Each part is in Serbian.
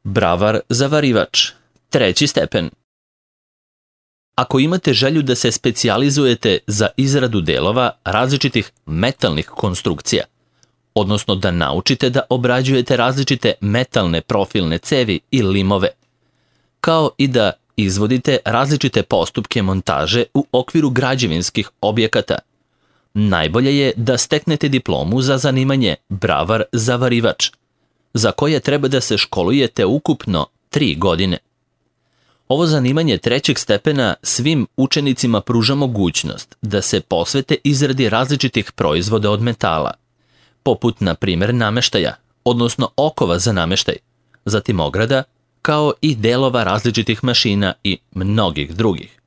Bravar zavarivač, 3. stepen. Ako imate želju da se specijalizujete za izradu delova različitih metalnih konstrukcija, odnosno da naučite da obrađujete različite metalne profilne cevi i limove, kao i da izvodite različite postupke montaže u okviru građevinskih objekata, najbolje je da steknete diplomu za zanimanje bravar zavarivač, za koje treba da se školujete ukupno 3 godine. Ovo zanimanje 3. stepena svim učenicima pruža mogućnost da se posvete izradi različitih proizvoda od metala, poput, na primjer, nameštaja, odnosno okova za nameštaj, zatim ograda, kao i delova različitih mašina i mnogih drugih.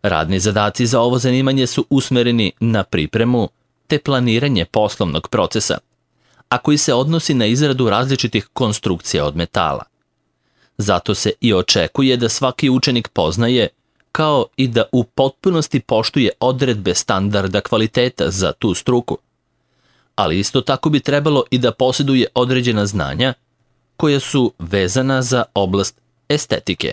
Radni zadaci za ovo zanimanje su usmereni na pripremu te planiranje poslovnog procesa, a koji se odnosi na izradu različitih konstrukcija od metala. Zato se i očekuje da svaki učenik poznaje, kao i da u potpunosti poštuje odredbe standarda kvaliteta za tu struku. Ali isto tako bi trebalo i da posjeduje određena znanja koja su vezana za oblast estetike.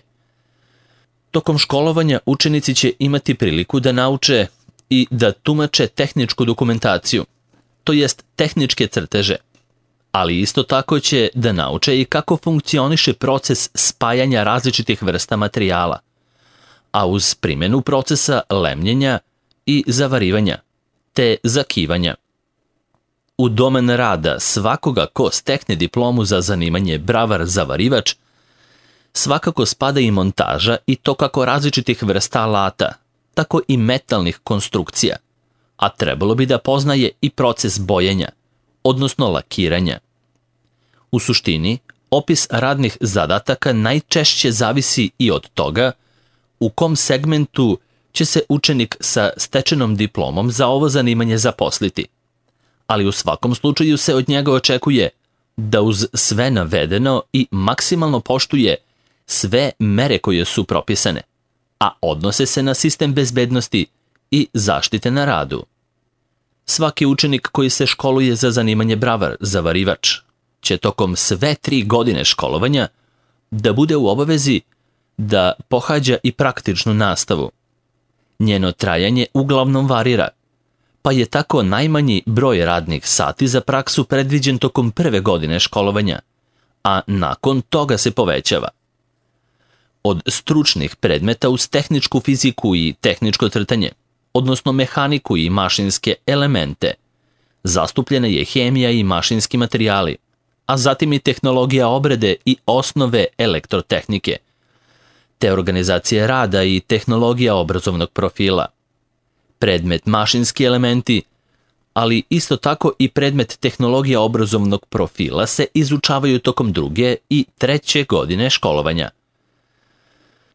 Tokom školovanja učenici će imati priliku da nauče i da tumače tehničku dokumentaciju, to jest tehničke crteže, ali isto tako će da nauče i kako funkcioniše proces spajanja različitih vrsta materijala, a uz primjenu procesa lemljenja i zavarivanja, te zakivanja. U domen rada svakoga ko stekne diplomu za zanimanje bravar zavarivač, svakako spada i montaža i to kako različitih vrsta alata, tako i metalnih konstrukcija, a trebalo bi da poznaje i proces bojenja, odnosno lakiranja. U suštini, opis radnih zadataka najčešće zavisi i od toga u kom segmentu će se učenik sa stečenom diplomom za ovo zanimanje zaposliti, ali u svakom slučaju se od njega očekuje da uz sve navedeno i maksimalno poštuje sve mere koje su propisane, a odnose se na sistem bezbednosti i zaštite na radu. Svaki učenik koji se školuje za zanimanje bravar zavarivač će tokom sve 3 godine školovanja da bude u obavezi da pohađa i praktičnu nastavu. Njeno trajanje uglavnom varira, pa je tako najmanji broj radnih sati za praksu predviđen tokom 1. godine školovanja, a nakon toga se povećava. Od stručnih predmeta uz tehničku fiziku i tehničko crtanje, odnosno mehaniku i mašinske elemente, zastupljena je hemija i mašinski materijali, a zatim i tehnologija obrade i osnove elektrotehnike, te organizacije rada i tehnologija obrazovnog profila. Predmet mašinski elementi, ali isto tako i predmet tehnologija obrazovnog profila se izučavaju tokom 2. i 3. godine školovanja.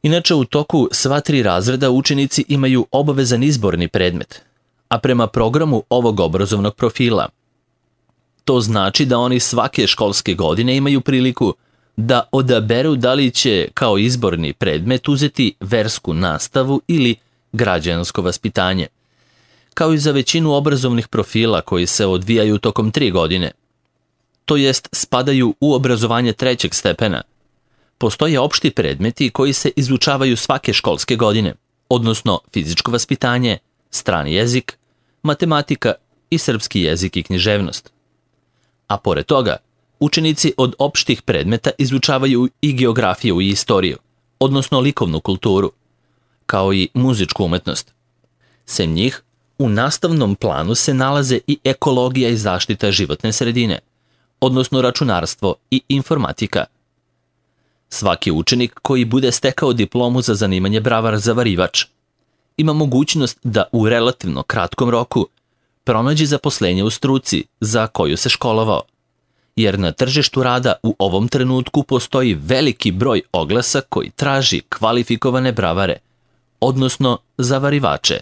Inače, u toku sva 3 razreda učenici imaju obavezan izborni predmet, a prema programu ovog obrazovnog profila. To znači da oni svake školske godine imaju priliku da odaberu da li će kao izborni predmet uzeti versku nastavu ili građansko vaspitanje, kao i za većinu obrazovnih profila koji se odvijaju tokom 3 godine. To jest spadaju u obrazovanje 3. stepena. Postoje opšti predmeti koji se izučavaju svake školske godine, odnosno fizičko vaspitanje, strani jezik, matematika i srpski jezik i književnost. A pored toga, učenici od opštih predmeta izučavaju i geografiju i istoriju, odnosno likovnu kulturu, kao i muzičku umetnost. Sem njih, u nastavnom planu se nalaze i ekologija i zaštita životne sredine, odnosno računarstvo i informatika. Svaki učenik koji bude stekao diplomu za zanimanje bravar zavarivač ima mogućnost da u relativno kratkom roku pronađe zaposlenje u struci za koju se školovao, jer na tržištu rada u ovom trenutku postoji veliki broj oglasa koji traži kvalifikovane bravare, odnosno zavarivače.